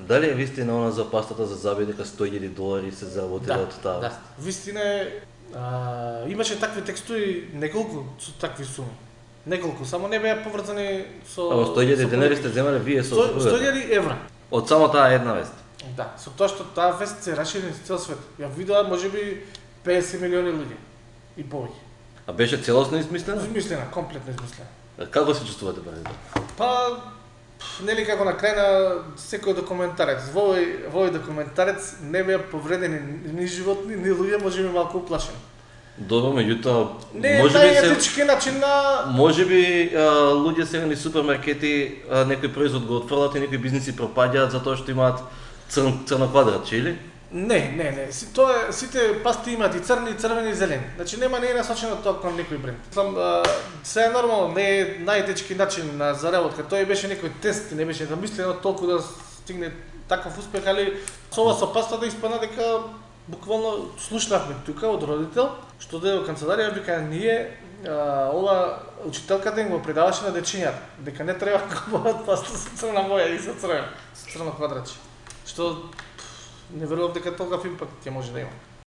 Дали е вистина она за пастата за заби дека $100,000 се заработила од таа? Да, вистина е, имаше такви текстури, неколку со такви суми. Неколку, само не беа поврзани со... $100,000 сте земале вие со... $100,000 Од само таа една вест? Да, со тоа што таа вест се расшири на цел свет. Ја видоа можеби 50 милиони луѓе и повеќе. А беше целосно измислена? Измислена, комплетно измислена. Како се чувствувате пред тоа? Па, нели како на крај на секој документарец. Во овој документарец не беа повредени ни животни, ни луѓе, можеби малку уплашени. Добро, меѓутоа, Не е најетички начин на... Можеби луѓе сега ни супермаркети некој производ го отфрлат и некои бизниси пропаѓаат затоа што имаат црно квадратче, или? Не. Тоа сите пасти имаат и црни, и црвени, и зелени. Значи не е насочено тоа кон некој бренд. Се е нормално, не е најетички начин на заработка. Тоа беше некој тест, не беше замислено толку да стигне таков успех, али со ова со пастата испадна дека буквално слушнавме тука од родител што дојде во канцеларија, вика ние ова учителката им го предаваше на дечињата дека не треба да купуваат паста со црна боја и со црно квадратче. Што не верувам дека толков импакт ќе може да има.